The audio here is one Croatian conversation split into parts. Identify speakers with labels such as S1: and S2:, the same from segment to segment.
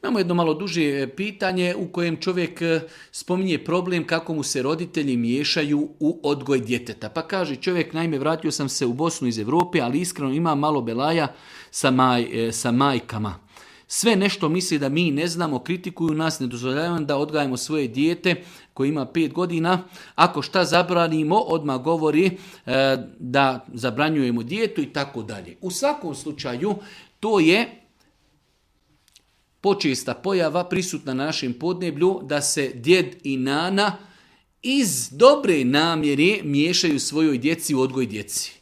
S1: Imamo jedno malo duže pitanje u kojem čovjek spominje problem kako mu se roditelji miješaju u odgoj djeteta. Pa kaže čovjek, naime vratio sam se u Bosnu iz Europe, ali iskreno imam malo belaja sa majkama. Sve nešto misli da mi ne znamo, kritikuju nas, ne dozvoljavamo da odgajamo svoje dijete koje ima 5 godina. Ako šta zabranimo, odmah govori da zabranjujemo dijetu i tako dalje. U svakom slučaju, to je počesta pojava prisutna na našem podneblju da se djed i nana iz dobre namjere miješaju svojoj djeci u odgoj djeci.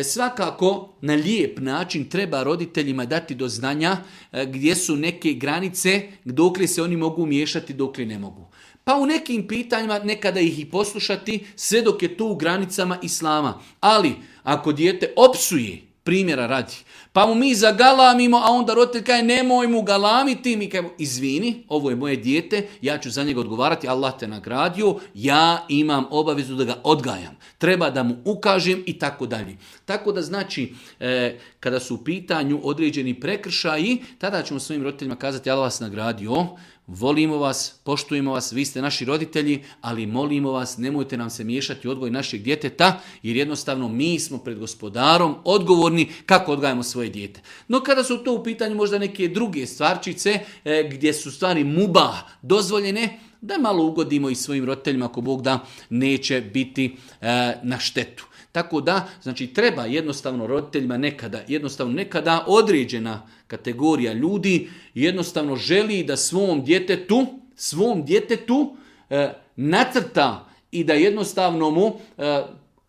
S1: Svakako na lijep način treba roditeljima dati do znanja gdje su neke granice dokle se oni mogu miješati, dokle ne mogu. Pa u nekim pitanjima nekada ih i poslušati sve dok je to u granicama islama. Ali ako dijete opsuje, primjera radi, pa mu mi zagalamimo, a onda roditelj kaže nemoj mu galamiti, mi kažemo izvini, ovo je moje dijete, ja ću za njega odgovarati, Allah te nagradio, ja imam obavezu da ga odgajam, treba da mu ukažem i tako dalje. Tako da znači, kada su u pitanju određeni prekršaji, tada ćemo svojim roditeljima kazati Allah vas nagradio, volimo vas, poštujemo vas, vi ste naši roditelji, ali molimo vas, nemojte nam se miješati u odgoj našeg djeteta, jer jednostavno mi smo pred gospodarom odgovorni kako odgajamo svoje dijete. No kada su to u pitanju možda neke druge stvarčice, gdje su stvari mubah dozvoljene, da malo ugodimo i svojim roditeljima ako Bog da neće biti na štetu. Tako da, znači treba jednostavno roditeljima nekada određena kategorija ljudi jednostavno želi da svom djetetu nacrta i da jednostavno mu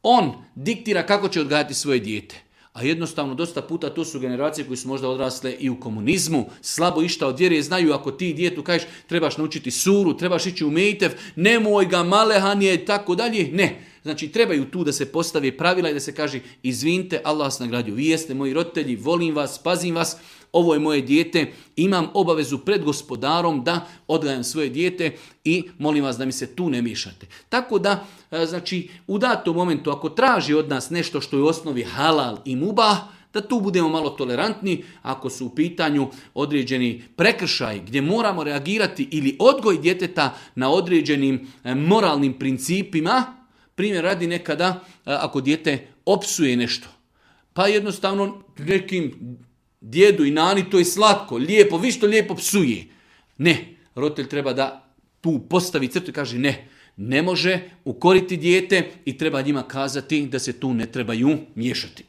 S1: on diktira kako će odgajati svoje dijete. A jednostavno dosta puta to su generacije koje su možda odrasle i u komunizmu, slabo išta od vjere, znaju ako ti djetu kažeš trebaš naučiti suru, trebaš ići u mejtev, nemoj ga malehanije i tako dalje, ne. Znači trebaju tu da se postave pravila i da se kaže izvinite, Allah vas nagradio, vi jeste moji roditelji, volim vas, pazim vas, ovo je moje dijete, imam obavezu pred gospodarom da odgajam svoje dijete i molim vas da mi se tu ne miješate. Tako da, znači, u datom momentu ako traži od nas nešto što je u osnovi halal i mubah, da tu budemo malo tolerantni, ako su u pitanju određeni prekršaj gdje moramo reagirati ili odgoj djeteta na određenim moralnim principima. Primjer radi nekada ako dijete opsuje nešto, pa jednostavno nekim djedu i nani to je slatko, lijepo, vi što lijepo psuje. Ne, roditelj treba da tu postavi crtu i kaže ne može ukoriti dijete i treba njima kazati da se tu ne trebaju miješati.